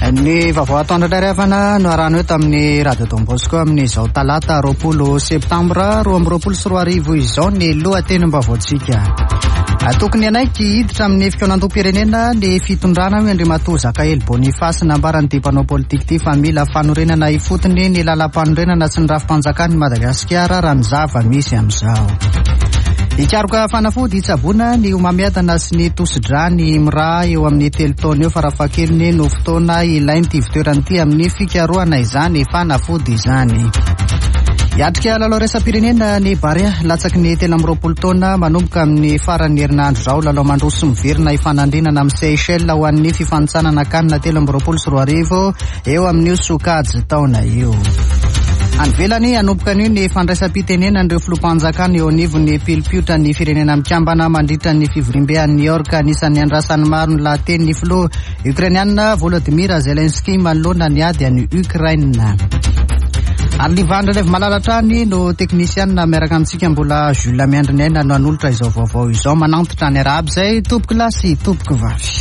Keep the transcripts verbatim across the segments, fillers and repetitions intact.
Ny vaovao atoandro indray ry havana no arahana eto amin'ny Radio Don Bosco amin'izao talata roapolo septambra roa amby roapolo sy roa arivo izao ny lohatenim-baovaontsika. Tokony hanaiky hiditra amin'ny fikaonandoham-pirenena ny fitondrana hoy Andriamatoa Zakahely Boniface. Nambaran'ity mpanao politika ity fa mila fanorenana ifotony ny lalam-panorenana sy ny rafi-panjakan'i Madagasikara raha ny zava-misy amin'izao. Hikaroka fanafody hitsaboana ny homamiadana sy ny tosidra ny I M R A eo amin'ny telo taona eo farafahakeliny no fotoana ilain'ity ivontoerana ity amin'ny fikarohana izany fanafody izany. Hiatrika lalao iraisam-pirenena ny Barea latsaky ny telo amby roapolo taona manomboka amin'ny faran'ny herinandro izao. Lalao mandroso miverina hifanandrinana amin'ny Seychelles ho an'ny fifanintsanana CAN telo amby roapolo sy roa arivo eo amin'io sokajy taona io. Any ivelany, hanomboka anio ny fandraisam-pitenenan'ireo filoham-panjakana eo anivon'ny pilipiotra ny Firenena Mikambana mandritra ny fivoriambe any New York. Anisan'ny andrasan'ny maro ny lahateny ny filoha ukrainiana Volodymyr Zelensky manoloana ny ady any Ukraine. Ary Livandra Lev Malalatrany no teknisianina miaraka amintsika, mbola Jules Miandry ny aina no hanolotra izao vaovao izao. Manantitra ny araby izay tompoko lahy sy tompoko vavy.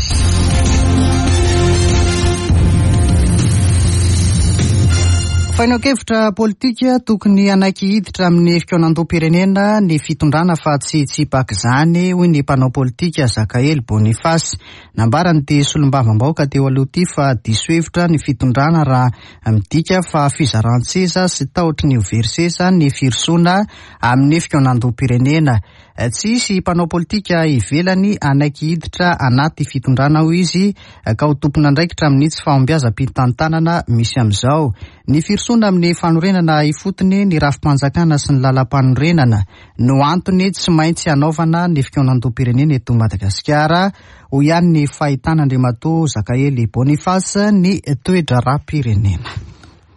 Fanehoan-kevitra politika: tokony hanaiky hiditra amin'ny fikaonandoham-pirenena ny fitondrana fa tsy hitsipaky izany, hoy ny mpanao politika Zakahely Boniface. Nambaran'ity solombavambahoaka teo aloha ity fa diso hevitra ny fitondrana raha midika fa fizaran-tseza sy tahotry ny ho very seza ny firosoana amin'ny fikaonandoham-pirenena. Tsy hisy mpanao politika ivelany hanaiky hiditra anaty fitondrana, hoy izy, ka ho tompon'andraikitra amin'ny tsy fahombiazam-pitantanana misy amin'izao. Ny firosoana amin'ny fanorenana ifotony ny rafi-panjakana sy ny lalam-panorenana no antony tsy maintsy hanaovana ny fikaonandoham-pirenena eto Madagasikara, hoy ihany ny fahitana Andriamatoa Zakahely Boniface ny toe-draharaham-pirenena.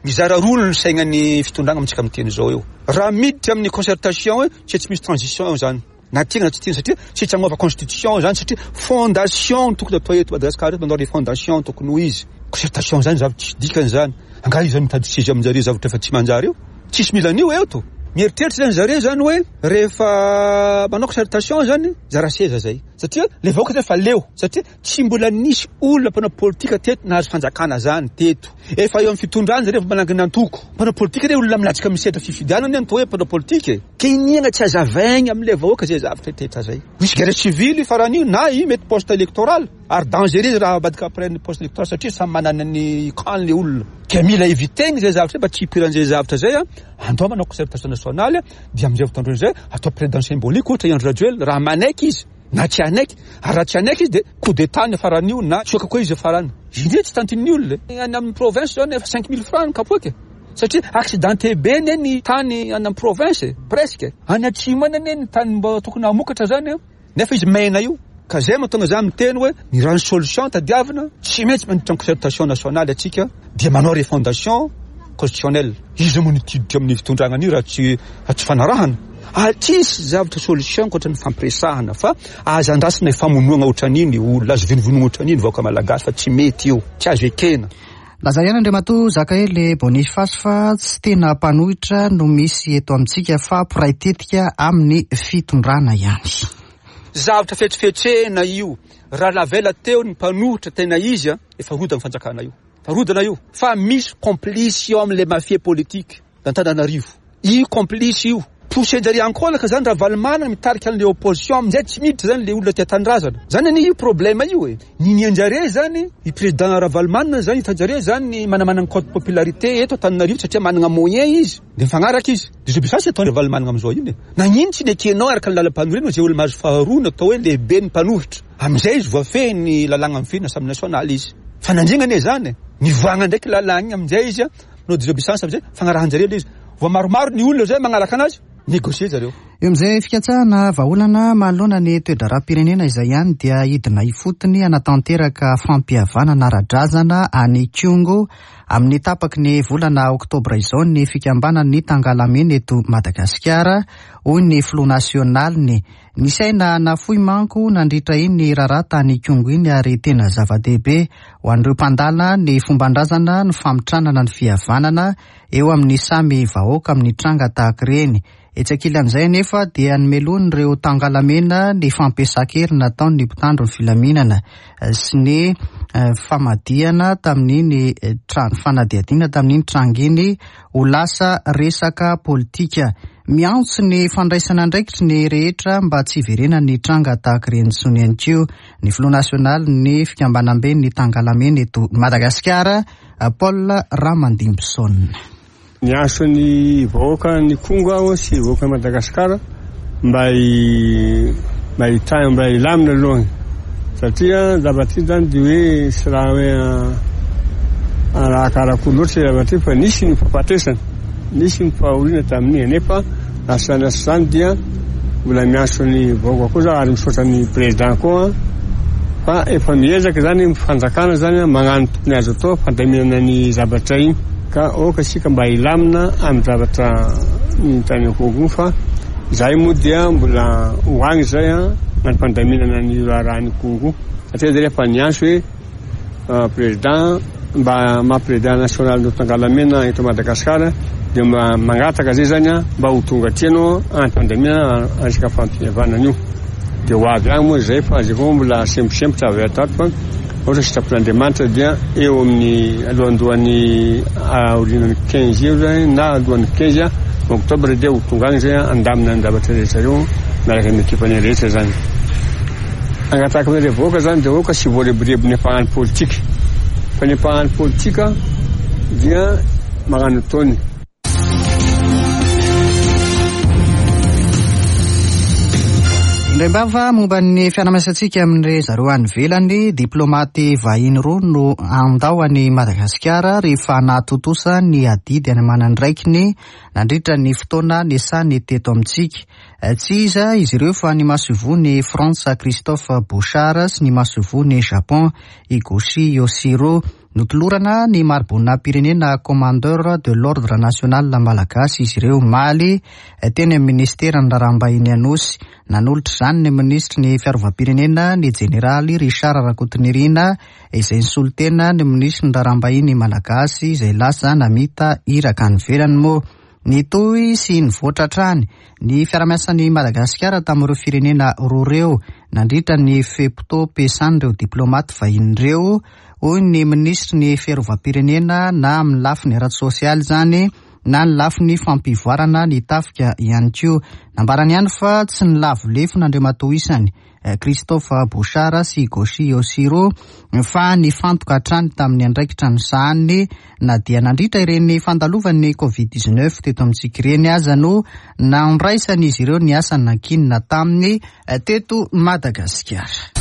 Mizara roa ny sainany fitondrana amintsika miteny zao eo. Raha miditra amin'ny concertation hoe tsy tsy misy transition eo zany, na tiana na tsy tiana, satria tsy tsy hagnova constitution zany, satria fondation tokony atao eto Madagasikara eto, manao refondation tokony ho izy. Concertation zany zavatra tsy dikany zany. Angaha izy zany mitady seza aminjare, zavatra efa tsy manjary io, tsisy mila an'io eto. Mieritreritra zany zare zany hoe rehefa manao concertation zany zara seza zay, satria le vahoaka zany fa leo, satria tsy mbola nisy olona mpanao politika teto nahazo fanjakana zany teto. Efa eo amin'ny fitondrana zare, efa manangana antoko mpanao politika re, olona milatsaka misetra fifidianana ny atao hoe mpanao politika e. Ke iniana tsy azavaigny am'le vahoaka zay zavatra tetra zay. Misy guerre civile farany io na i mety post électoral, ary dangereux raha avadika après ny post électoral, satria samy manana ny camp le olona, ke mila éviter zay zavatra mba tsy hipiran'zay zavatra zay. A andao manao concertation nationale, dia amizay fotoandreo zay atao président symbolique ohatra i Andry Rajoelina raha manaiky izy na tsy hanaiky. Ary raha tsy hanaiky izy, de coup d'état ny faran'io na tsoaka koa izy farany. Indre tsy tantin'ny olona any amin'ny province zao, efa cinq mille francs ny kapoaka, satria accidenté be ne ny tany any amin'ny province, presque any atsimo any ane ny tany mba tokony hamokatra zany, nefa izy maina io. Ka zay mahatonga za miteny hoe ny raha ny solution tadiavina, tsy maintsy mandritra ny concertation nationale atsika, dia manao refondation constitutionnelle. Izy moa nitiditra amin'ny fitondrana an'io raha tsy raha tsy fanarahana ah, tsisy zavatra solution ankoatra ny fampiresahana, fa aza andrasina famonoana ohatran'iny olona, azo vonovonoana ohatran'iny vahoaka malagasy, fa tsy mety io, tsy azo ekena. Laza ihany Andriamatoa Zakahely Boniface fa tsy tena mpanohitra no misy eto amintsika fa mpiray tetika amin'ny fitondrana ihany. Zavatra fetsifetsena io. Raha lavela teo ny mpanohitra tena izy a, efa rodana fanjakana io, fa rodana io, fa misy complice eo am'le mafia politique d'Antananarivo io. Complice io pousser-njare ankolaka zany raha Ravalomanana mitarika an'le opposition amin'izay tsy miditra zany le olona tia tanindrazana zany. Anie io problème io e, ninianjare zany i président Ravalomanana zany, hitanjare zany manamanana cote popularité eto Antananarivo satria manana moyen izy, de mifagnaraka izy. Désobéissance atao Ravalomanana amizao iny e, nagnino tsy nekenao araka ny lalam-panorenana zay olo mahazo faharoa natao hoe lehibe ny mpanohitra? Amizay izy voafehy ny lalàna mifehy Assemblée nationale izy, fa nandrina ane zany nivoagna ndraiky lalàna igny. Amizay izy a manao désobéissance, amizay fagnarahan-jare le izy, voa maromaro ny olona zay magnaraka anazy, négocier zareo. Eo amin'izay fikatsahana vahaolana manoloana ny toe-draharaham-pirenena izay ihany, dia hidina ifotony hanatanteraka fampihavanana ara-drazana any Ikongo amin'ny tapaky ny volana oktobra izao ny fikambanany Tangalamena eto Madagasikara, hoy ny filoha nasionaliny. Nisy aina nafoy manko nandritra iny raharaha tany Ikongo iny, ary tena zava-dehibe ho an'ireo mpandala ny fomban-drazana ny famitranana ny fihavanana eo amin'ny samy vahoaka amin'ny tranga tahaka ireny. Etsy ankilan'izay anefa anefa dia nomelohin'ireo Tangalamena ny fampiasan-kery nataon'ny mpitandro ny filaminana sy ny famadihana tamin'iny trano fanadihadiana tamin'iny tranga iny ho lasa resaka politika. Miantso ny fandraisana andraikitry ny rehetra mba tsy hiverenan'ny tranga tahaka ireny intsony ihany koa ny filoha nasionaly ny fikambanambe ny Tangalamena eto Madagasikara, Paul Ramandimbison. Niantso ny vahoaka ny Kongo aho sy vahoaka Madagasikara mba mba hitay mba hilamina alohany, satria zavatra iny zany dia hoe tsy raha hoe raha karakory loatra zavatra iny, fa nisy ny fahafatesana, nisy ny fahoriana tamin'iny, nefa lasa lasa zany dia mbola miantso ny vahoaka koa za ary misaotra ny président koa fa efa miezaka zany ny fanjakana zany magnano tokony azo atao fandaminana ny zavatra iny, ka aoka isika mba hilamina amin'ny zavatra ny tany Kongo, fa zahay moa dia mbola ho agny zay a ny fandaminana ny raharahan'ny Kongo, satria zay efa niantso hoe président mba maha président national ny Tangalamena eto Madagasikara dia mba mangataka zay zany a mba ho tonga aty anao any fandaminana resaka fampihavanana io, dia ho avy agny moa zay fa zay koa mbola semposempotra avy ato fa ohatra sitrapon'Andriamanitra dia eo amin'ny alohandohan'ny aorian'ny quinze eo zany na alohan'ny quinze octobre dia ho tonga agny zay andamina ny zavatra rehetra io miaraka amin'ny ekipany rehetra zany. Angataka amin'ireo vahoaka zany dia aoka tsy voarebireby ny mpagnano politika, fa ny mpagnano politika dia magnano ataony. Indraimbava momba ny fiarahamiasantsika amin'ireo zareo any ivelany, diplomaty vahiny roa no handao an'i Madagasikara rehefa nahatontosa ny adidy any aman'andraikiny nandritra ny fotoana niasany teto amintsika. Tsy iza izy ireo fa ny masoivohon'i Frantsa Christophe Bouchard sy ny masoivohon'i Japon Higuchi Yoshiro. Notolorana ny mari-boninahim-pirenena commandeur de l'ordre national malagasy izy ireo omaly teny amin'ny ministeran'ny raharaham-bahiny Anosy. Nanolotra izany ny minisitry ny fiarovam-pirenena ny jeneraly Richard Rakotonirina izay nisolo tena ny minisitry ny raharaham-bahiny malagasy izay lasa namita iraka any ivelany moa. Nitohy sy nivoatra hatrany ny fiarahamiasan'i Madagasikara tamin'ireo firenena roa ireo nandritra ny fe-potoam-piasan'ireo diplomaty vahiny ireo, hoy ny minisitry ny fiarovam-pirenena, na amin'ny lafiny ara-tsosialy izany na ny lafiny fampivoarana ny tafika ihany koa. Nambarany ihany fa tsy nilavo lefona Andriamatoa isany Christophe Bouchard sy Higuchi Yoshiro fa nifantoka hatrany tamin'ny andraikitra nosahaniny na dia nandritra ireny fandalovan'ny covid dix-neuf teto amintsika ireny aza no nandraisan'izy ireo ny asa nankinina taminy teto Madagasikara.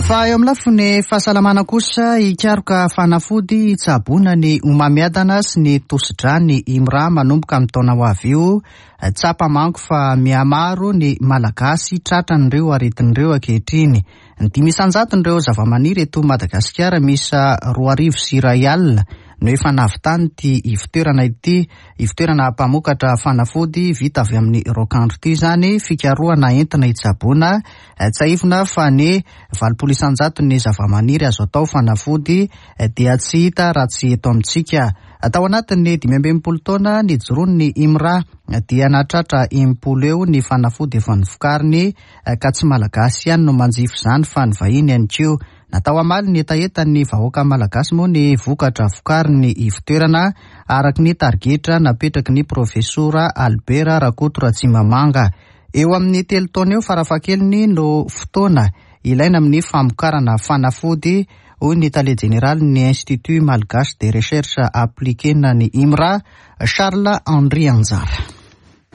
Fa eo amin'ny lafiny fahasalamana kosa, hikaroka fanafody hitsaboana ny homamiadana sy ny tosidra ny IMRA manomboka amin'ny taona ho avy io. Tsapa manko fa mihamaro ny Malagasy tratran'ireo aretin'ireo ankehitriny. Ny dimy isan-jaton'ireo zavamaniry eto Madagasikara miisa roa arivo sy iray alina no efa nahavitany ity ivotoerana ity, ivotoerana mpamokatra fanafody vita avy amin'ny raokandro ity izany, fikarohana entina hitsaboana. Tsiahivina fa ny valopolo isan-jaton'ny zavamaniry azo atao fanafody dia tsy hita raha tsy eto amintsika. Tao anatin'ny dimy amby enimpolo taona nijoroan'ny IMRA dia nahatratra enimpolo eo ny fanafody efa novokariny, ka tsy Malagasy ihany no manjifa izany fa ny vahiny ihany koa. Natao hamaly ny hetahetan'ny vahoaka malagasy moa ny vokatra vokarin'ny ivotoerana araka ny tarigetra napetraky ny profesora Albert Rakoto Ratsimamanga. Eo amin'ny telo taona eo farafahakeliny no fotoana ilaina amin'ny famokarana fanafody, hoy ny tale jeneralin'ny Institut Malgache de Recherche Appliquée na ny IMRA, Charles Henri Anjara.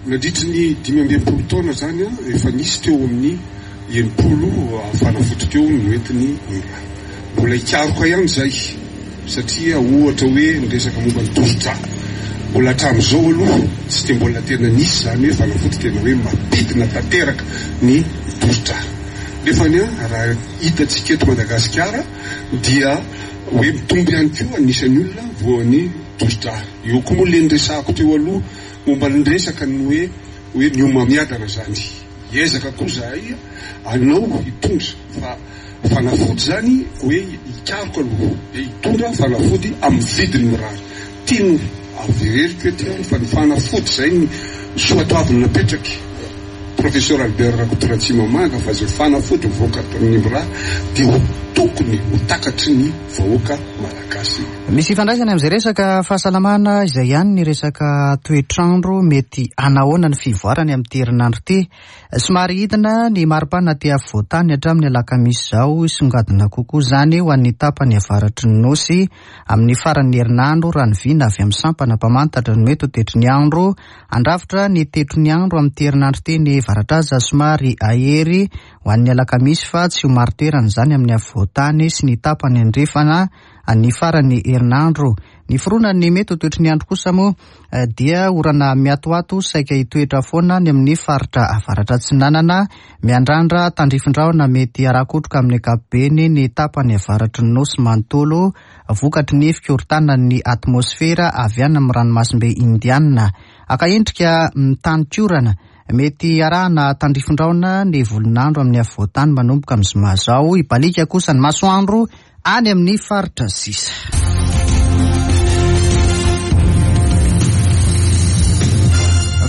Nandritry ny dimy amby enimpolo taona zany efa nisy teo amin'ny enimpolo fanafody teo noentiny IMRA. Mbola hikaroka ihany zay satria ohatra hoe ny resaka momba ny tosidra mbola hatramin'izao aloha tsy dia mbola tena nisy zany hoe fanafody tena hoe mampidina tanteraka ny tosidra. Nefa ny raha hitantsika eto Madagasikara dia hoe mitombo ihany koa anisan'ny olona voan'ny tosidra. Eo koa moa le niresahako teo aloha momba ny resaka ny hoe hoe ny homamiadana zany. Hiezaka koa zahay anao hitondra fa fanafody zany hoe hikaroka aloha dia hitondra fanafody amin'ny vidiny mirary. Tiany Averiko ety fa ny fanafody zay ny soatoavina napetraky Professeur Albert Rakotoratsimamanga, fa zay fanafody mivoaka tamin'ny IMRA dia ho tokony ho takatry ny vahoaka malagasy. Misy ifandraisany amin'izay resaka fahasalamana izay ihany ny resaka toetrandro. Mety anahoana ny fivoarany amin'ity herinandro ity? Somary hidina ny maripana aty afovoantany hatramin'ny alakamisy izao, songadina kokoa izany ho an'ny tapany avaratry ny nosy amin'ny faran'ny herinandro, raha ny vina avy amin'ny sampana mpamantatra ny mety ho toetry ny andro. Andrafitra ny toetry ny andro amin'ity herinandro ity ny varatraza somary ahery ho an'ny alakamisy, fa tsy ho marin-toerana izany amin'ny afovoantany sy ny tapany andrefana ny faran'ny herinandro. Ny fironan'ny mety ho toetry ny andro kosa moa dia orana miatoato saika hitoetra foana ny amin'ny faritra avaratra atsinanana, miandrandra tandrifindrahona mety harakotroka amin'ny ankapobeny ny tapany avaratry ny nosy manontolo, vokatry ny fikorontanan'ny atmosfera avy any amin'ny ranomasimbe Indiana. Aka endrika mitaninkorana mety arahana tandrifindrahona ny volon'andro amin'ny afovoantany manomboka amin'ny zoma izao, hibaliaka kosa ny masoandro any amin'ny faritra sisa.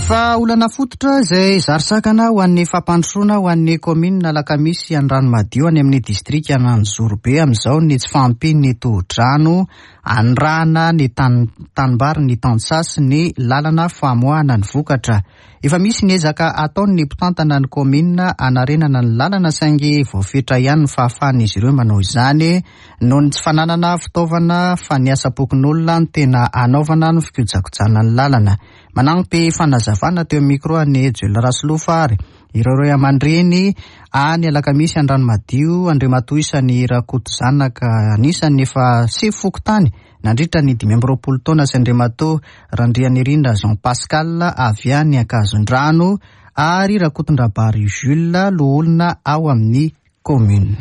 Fa olana fototra izay zary sakana ho an'ny fampandrosoana ho an'ny kaominina Alakamisy Andranomadio any amin'ny distrika Ananjorobe amin'izao ny tsy fahampian'ny tohodrano andrana ny tanimbary, ny tantsaha sy ny lalana famoahana ny vokatra. Efa misy ny ezaka ataon'ny mpitantana ny kaominina anarenana ny lalana, saingy voafetra ihany ny fahafahan'izy ireo manao izany noho ny tsy fananana fitaovana, fa ny asam-pokonolona no tena anaovana ny fikojakojana ny lalana. Manampy fanazavana teo amin'ny micro an'i Joel Rasolofa ary ireo ray aman-dreny any Alakamisy Andranomadio, Andriamatoa Isany Rakotozanaka anisan'ny efa sefo fokontany nandritra ny dimy amby roapolo taona, sy Andriamatoa Randrianirina Jean Pascal avy any Ankazondrano ary Rakotondrabary Jules, loholona ao amin'ny commune.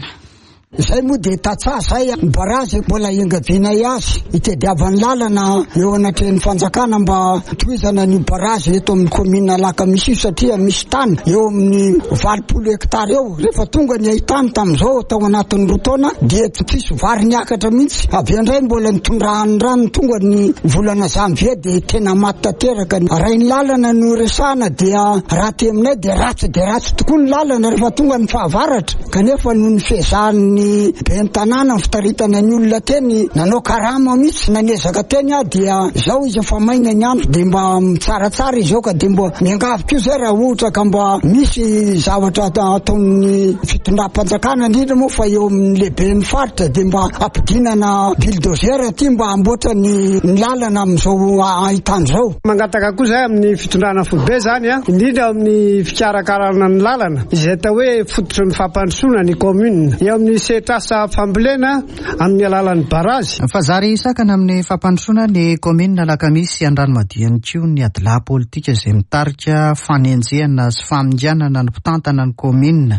Izay moa dia tantsaha zay, ny barazy mbola ingavianay azy hitadiavan'ny lalana eo anatrehan'ny fanjakana mba tohizana ny barazy eto amin'ny commune Alakamisy io, satria misy tany eo amin'ny valopolo hektara eo. Rehefa tonga ny haitany tamin'izao tao anatin'ny roa taona dia tsisy vary niakatra mihitsy. Avy indray mbola nitondrahan'ny rano tonga ny volana janvier dia tena maty tanteraka. Raha ny lalana no resahana dia raha ty aminay dia ratsy dia ratsy tokoa ny lalana rehefa tonga ny fahavaratra, kanefa noho ny fiezahany ben'ny tanàna ny fitaritana ny olona teny nanao karama mihitsy nanezaka teny ah dia zao izy efa maina ny andro dia mba mitsaratsara izy eo, ka dia mba miangavy koa zay raha ohatra ka mba misy zavatra ataon'ny fitondram-panjakana indrindra moa fa eo amin'ny lehiben'ny faritra dia mba ampidinana bulldozer aty mba hamboatra ny lalana amin'izao ahitany zao. Mangataka koa zay amin'ny fitondrana foibe zany a, indrindra amin'ny fikarakarana ny lalana izay atao hoe fototry ny fampandrosoana ny commune eo amin'ny sehatrasa fambolena amin'ny alalan'ny barazy. Fa zary sakana amin'ny fampandrosoana ny kaominina Alakamisy Andranomadio ihany koa ny adilahy politika izay mitarika fanenjehana sy faminganana ny mpitantana ny kaominina.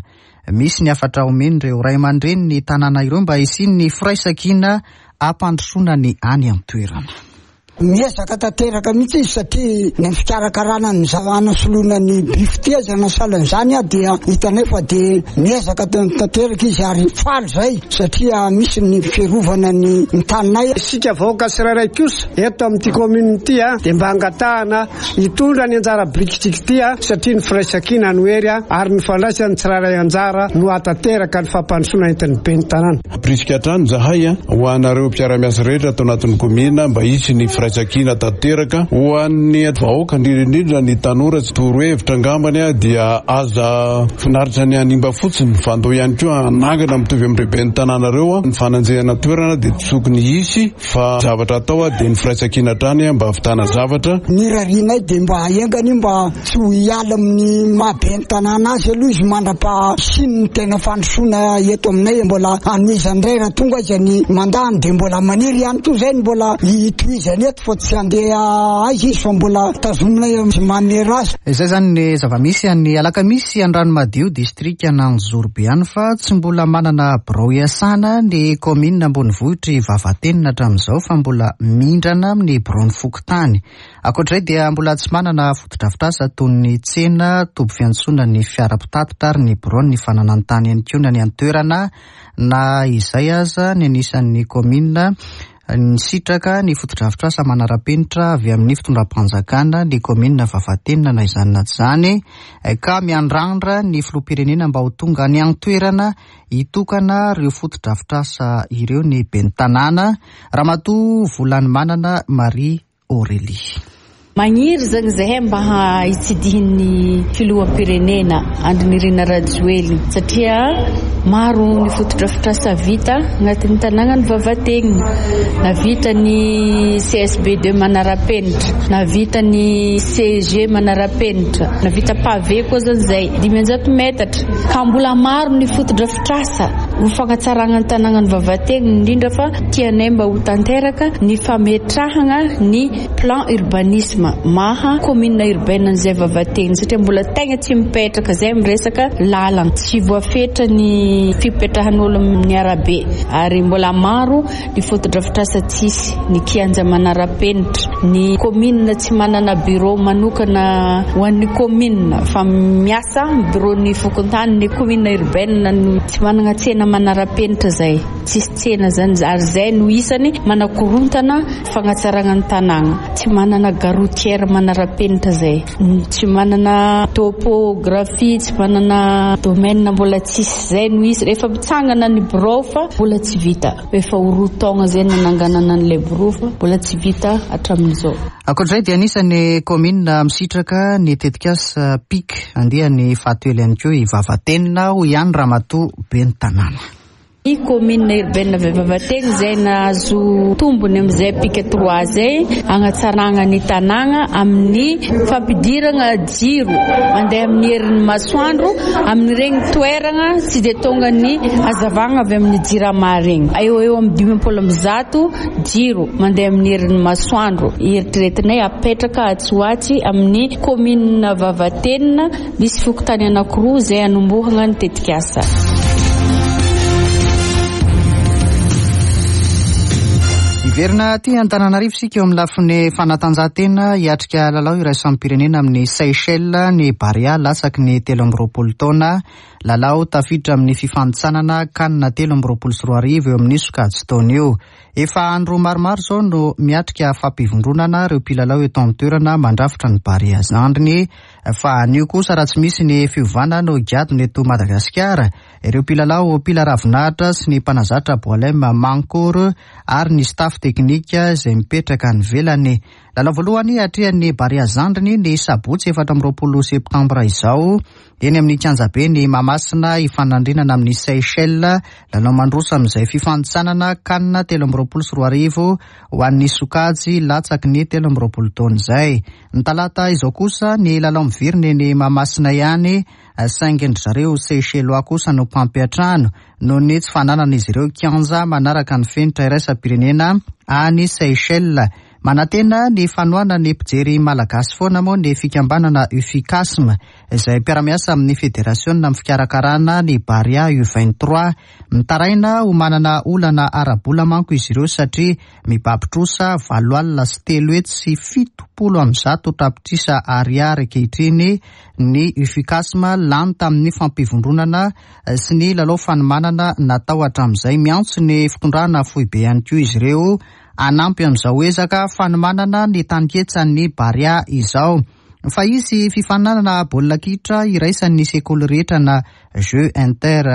Misy ny hafatra omen'ireo ray aman-dreny ny tanàna ireo mba hisian'ny firaisankina hampandrosoana ny any an-toerana. Miezaka tanteraka mihitsy izy satria ny fikarakarana ny zanasoloana ny bifitezana salan'izany dia hitanay fa dia miezaka tanteraka izy ary faly zay satria misy ny fiarovana ny taninay. Isika vahoaka tsirairay kosa eto amin'ity commune ity dia mba angatahana hitondra ny anjara birikitsika ity satria ny firaisankina no hery ary ny fandraisan'ny tsirairay anjara no hatanteraka ny fampandrosoana entin'ny ben'ny tanàna. Ampirisika hatrany zahay ho anareo mpiara-miasa rehetra ato anatin'ny commune mba hisy ny firaisankina tanteraka ho an'ny vahoaka, indrindra indrindra ny tanora. Tsy torohevitra angambany dia aza finaritra ny hanimba fotsiny fa andao ihany koa hanangana mitovy amin'ireo ben'ny tanàna ireo. Ny fananjehana toerana dia tsy tokony hisy fa zavatra atao dia ny firaisankina hatrany mba hahavitana zavatra. Ny rarianay dia mba haingana mba tsy ho hiala amin'ny maha ben'ny tanàna azy aloha izy mandra-pahasiany ny tena fandrosoana eto aminay. Mbola hanohizany indray raha tonga izy ny mandany dia mbola maniry ihany koa zay ny mbola hitohizany eto fa tsy handeha aiza izy fa mbola tazominay manera azy. Izay zany ny zava-misy any Alakamisy Andranomadio distrika Ananjorobe any, fa tsy mbola manana birao iasana ny kaominina ambonivohitry Vavatenina hatramin'izao fa mbola mindrana amin'ny biraon'ny fokontany. Ankoatr'izay dia mbola tsy manana fotodrafitrasa toy ny tsena, toby fiantsonana ny fiara mpitatitra ary ny biraon'ny fananan-tany ihany koa ny any an-toerana. Na izay aza ny anisan'ny kaominina Nisitraka ny fotodrafitrasa manara-penitra avy amin'ny fitondram-panjakana ny kaominina Vavatenina na izany na tsy izany, ka miandrandra ny filoham-pirenena mba ho tonga any an-toerana hitokana ireo fotodrafitrasa ireo ny ben'ny tanàna, Ramatoa Volanimanana Marie Aurélie. Magniry zany zahay mba hitsidihin'ny filoham-pirenena Andry Nirina Rajoelina, satria maro ny fotodrafitrasa vita agnatin'ny tanànan'i Vavatenina. Navita ny C S B deux manara-penitra, navita ny C G manara-penitra, navita pavé koa zany zay dimanjato metatra. Ka mbola maro ny fotodrafitrasa ho fagnatsarana ny tanànan'i Vavatenina, indrindra fa tianay mba ho tanteraka ny fametrahana ny plan urbanisme maha commune urbaine an'izay Vavatenina, satria mbola tegna tsy mipetraka zay miresaka lalana, tsy voafetra ny fipetrahan'olo amin'ny arabe, ary mbola maro ny fotodrafitrasa tsisy, ny kianja manara-penitra, ny commune tsy manana bureau manokana ho an'ny commune fa miasa bureau ny fokontany, ny commune urbaine tsy manana tsena manara-penitra zay, tsisy tsena zany, ary zay no isany manakorontana fagnatsarana ny tanàna, tsy manana gare routière manara-penitra zay, tsy manana topographie, tsy manana domaine mbola tsisy zay no izy. Rehefa mitsangana ny bureau fa mbola tsy vita, efa ho roa taona zay nananganana an'ilay bureau fa mbola tsy vita hatramin'izao. Ankoatr'izay dia anisan'ny kaominina misitraka ny tetikasa P I C andiany fahatelo ihany koa i Vavatenina, hoy ihany Ramatoa ben'ny tanàna. Ny commune urbaine Vavatenina zay nahazo tombony amin'izay P I C trois zay hagnatsarana ny tanàna amin'ny fampidirana jiro mandeha amin'ny herin'ny masoandro amin'ireny toerana tsy dia tonga ny hazavana avy amin'ny jirama regny. Eo eo amin'ny dimampolo amby zato jiro mandeha amin'ny herin'ny masoandro. Eritreretinay apetraka atsy ho atsy amin'ny commune Vavatenina misy fokontany anankiroa zay hanombohana ny tetikasa. Hiverina aty Antananarivo isika eo amin'ny lafiny fanatanjahantena. Hiatrika lalao iraisam-pirenena amin'ny Seychelles ny Barea latsaky ny telo amby roapolo taona. Lalao tafiditra amin'ny fifanintsanana CAN telo amby roapolo sy roa arivo eo amin'ny sokajy taona io. Efa andro maromaro izao no miatrika fampivondronana ireo mpilalao eto an-toerana mandrafitra ny Barea zandriny, fa anio kosa raha tsy misy ny fiovana no higadona eto Madagasikara ireo mpilalao mpila ravinahitra sy ny mpanazatra Boalem Mankour ary ny staff teknika izay mipetraka any ivelany. Lalao voalohany atrehan'ny Barea zandriny ny sabotsy efatra amby roapolo septambra izao eny amin'ny kianjabe ny Mahamasina hifanandrinana amin'ny Seychelles. Lalao mandroso amin'izay fifanintsanana CAN telo amby roapolo sy roa arivo ho an'ny sokajy latsaky ny telo amby roapolo taona izay. Ny talata izao kosa ny lalao miverina eny Mahamasina ihany, saingy ndry zareo Seychellois kosa no mpampiantrano noho ny tsy fananan'izy ireo kianja manaraka ny fenitra iraisam-pirenena any Seychelles. Manantena ny fanohanan'ny mpijery malagasy foana moa ny fikambanana UFICASM izay mpiara-miasa amin'ny federasiona amin'ny fikarakarana ny Barea U vingt-trois. Mitaraina ho manana olana ara-bola manko izy ireo satria mibaby trosa valo alina sy telo hetsy sy fitopolo amby zato tapitrisa ariary ankehitriny ny UFICASM lany tamin'ny fampivondronana sy ny lalao fanomanana natao hatramin'izay. Miantso ny fitondrana foibe ihany koa izy ireo hanampy amin'izao ezaka fanomanana ny taninketsan'ny Barea izao. Fa hisy fifaninanana baolina kitra iraisan'ny sekoly rehetra na jeu inter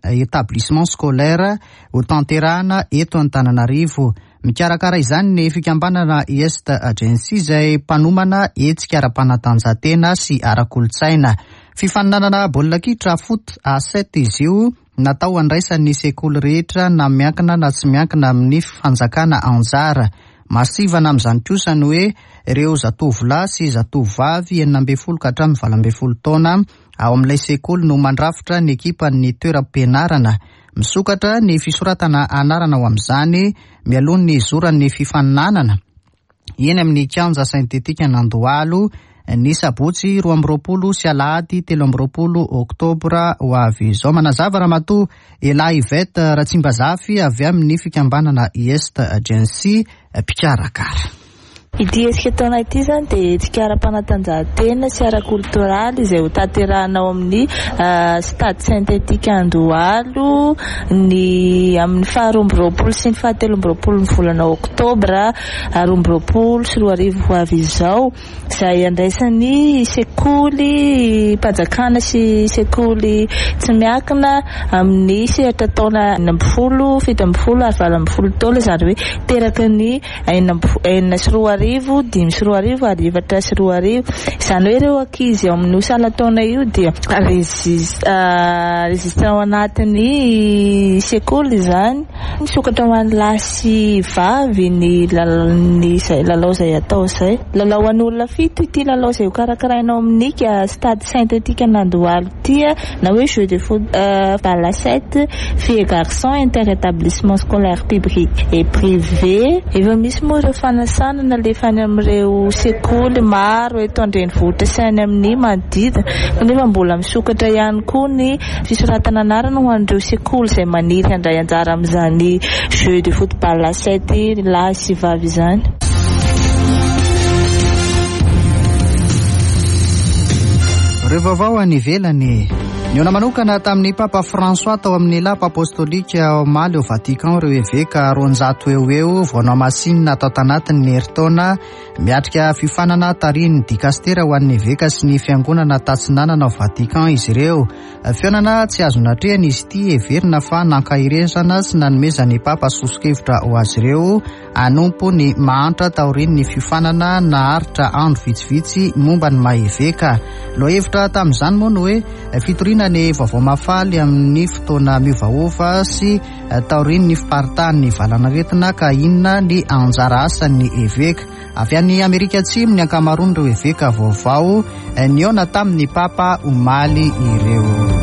établissement scolaire ho tanterahana eto Antananarivo. Mikarakara izany ny fikambanana Est Agency izay mpanomana hetsika ara-panatanjahantena sy ara-kolontsaina. Fifaninanana baolina kitra foot A sept izy io natao andraisan'ny sekoly rehetra na miankina na tsy miankina amin'ny fanjakana anjara. Masivana amin'izany kosa ny hoe ireo zatovolahy sy zatovovavy enina ambin'ny folo ka hatramin'ny valo ambin'ny folo taona ao amin'ilay sekoly no mandrafitra ny ekipan'ny toeram-pianarana. Misokatra ny fisoratana anarana ao amin'izany mialoha ny zoran'ny fifaninanana eny amin'ny kianja sentetika Andohalo ny sabotsy roa amby roapolo sy alahady telo amby roapolo oktobra ho avy izao. Manazava Ramatoa Ela Yvette Ratsimbazafy avy amin'ny fikambanana Est Agency mpikarakara. Ity hetsika taona ity izany dia hetsika ara-panatanjahantena sy ara-koltoraly izay ho tanterahina ao amin'ny stade synthétique Andohalo ny amin'ny faharoa amby roapolo sy ny fahatelo amby roapolo ny volana oktobra roa amby roapolo sy roa arivo ho avy izao, izay andraisan'ny sekoly mpanjakana sy sekoly tsy miankina amin'ny sehatra taona enina ambin'ny folo, fito ambin'ny folo ary valo ambin'ny folo taona, izany hoe teraka ny enina sy roa arivo, dimy sy roa arivo ary efatra sy roa arivo. Izany hoe ireo ankizy ao amin'io salan-taona io dia registre ao anatin'ny sekoly izany. Misokatra ho an'ny lahy sy vavy ny ny izay lalao izay atao izay. Lalao an'olona fito ity lalao izay ho karakaraina ao amin'ny stade synthétique Andohalo ity, na hoe jeu de foot balle à sept filles et garçons inter-établissement scolaire public et privé. Efa misy moa ireo fanasana nalefa any amin'ireo sekoly maro eto an-drenivohitra sy any amin'ny manodidina, kanefa mbola misokatra ihany koa ny fisoratana anarana ho an'ireo sekoly izay maniry handray anjara amin'izany jeu de foot balle à sept lahy sy vavy izany. Ireo vaovao any ivelany. Nihaona manokana tamin'ny Papa François tao amin'ny lapa apostolika omaly ao Vatican ireo eveka roanjato eo eo vao nohamasinina tao tanatin'ny herintaona miatrika fiofanana tarihin'ny dikastera ho an'ny eveka sy ny fiangonana tatsinanana ao Vatican izy ireo. Fihaonana tsy azo natrehana izy ity, heverina fa nankaherezana sy nanomezan'ny Papa soso-kevitra ho azy ireo hanompo ny mahantra taorian'ny fiofanana naharitra andro vitsivitsy momba ny maha eveka. Lohahevitra tamin'izany moa no hoe fitoriana ny vaovao mahafaly amin'ny fotoana miovaova sy taorian'ny fiparitahan'ny valanaretina, ka inona ny anjara asan'ny eveka. Avy any Amerika Atsimo ny ankamaroan'ireo eveka vaovao nihaona tamin'ny Papa omaly ireo.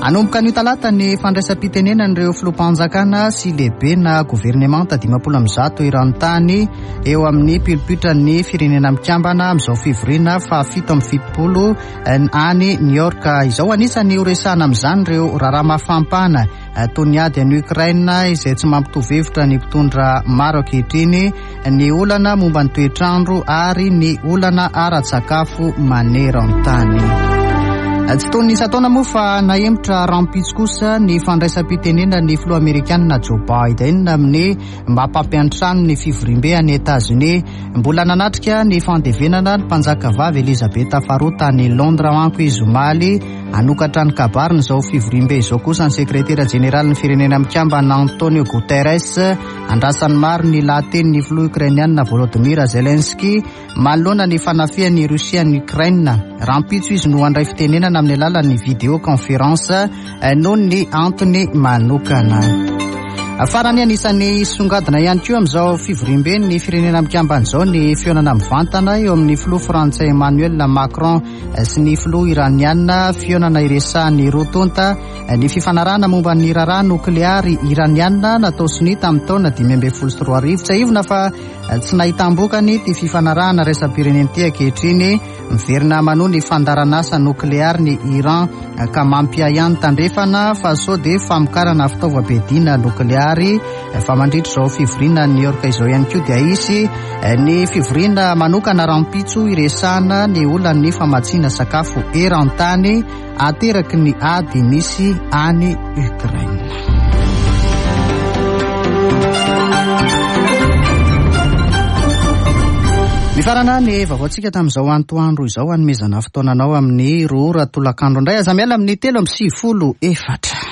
Hanomboka anio talata ny fandraisam-pitenenan'ireo filoham-panjakana sy lehibe na governemanta dimampolo amby zato eran-tany eo amin'ny pilipitran'ny firenena mikambana amin'izao fivoriana fahafito amby fitopolo any New York izao. Anisan'ny horesahana amin'izany ireo raharaha mafampana toy ny ady any Ukraine izay tsy mampitovy hevitra ny mpitondra maro ankehitriny, ny olana momba ny toetrandro ary ny olana ara-tsakafo maneran-tany. Tsy toy ny isan-taona moa fa nahemotra rahampitso kosa ny fandraisam-pitenenan'ny filoha amerikanina Joe Biden amin'ny mampampiantrano ny fivoriambe any Etazonia. Mbola nanatrika ny fandevenana ny mpanjakavavy Elizabeth faharoa tany Londres manko izy omaly. Hanokatra ny kabariny izao fivoriambe izao kosa ny sekretera jeneralin'ny firenena mikambana Antonio Guterres. Andrasan'ny maro ny lahatenin'ny filoha ukrainianina Volodymyr Zelensky manoloana ny fanafihan'ny Rosia ny Ukraine. Rahampitso izy no handray fitenenana amin'ny alalan'ny vidéoconférence noho ny antony manokana. Farany, anisan'ny songadina ihany koa amin'izao fivoriambe ny firenena mikambana izao ny fihaonana mivantana eo amin'ny filoha frantsay Emmanuel Macron sy ny filoha iraniana, fihaonana iresahan'ny roa tonta ny fifanarahana momba ny raharaha nokleary iraniana natao sonia tamin'ny taona dimy ambin'ny folo sy roa arivo. Tsiahivina fa tsy nahitam-bokany ity fifanarahana iraisam-pirenena ity ankehitriny. Miverina manohy ny fandaharanasa nokleary ny Iran ka mampiahiahy ny tandrefana fa sao dia famokarana fitaovam-piadiana nokleary. Fa mandritra izao fivoriana New York izao ihany koa dia hisy ny fivoriana manokana rahampitso iresahana ny olan'ny famatsiana sakafo eran-tany ateraky ny ady misy any Ukraine. Mifarana ny vaovaontsika tamin'izao antoandro izao, hanomezana fotoananao amin'ny roa ora tolakandro indray. Aza miala amin'ny telo amby sivifolo efatra.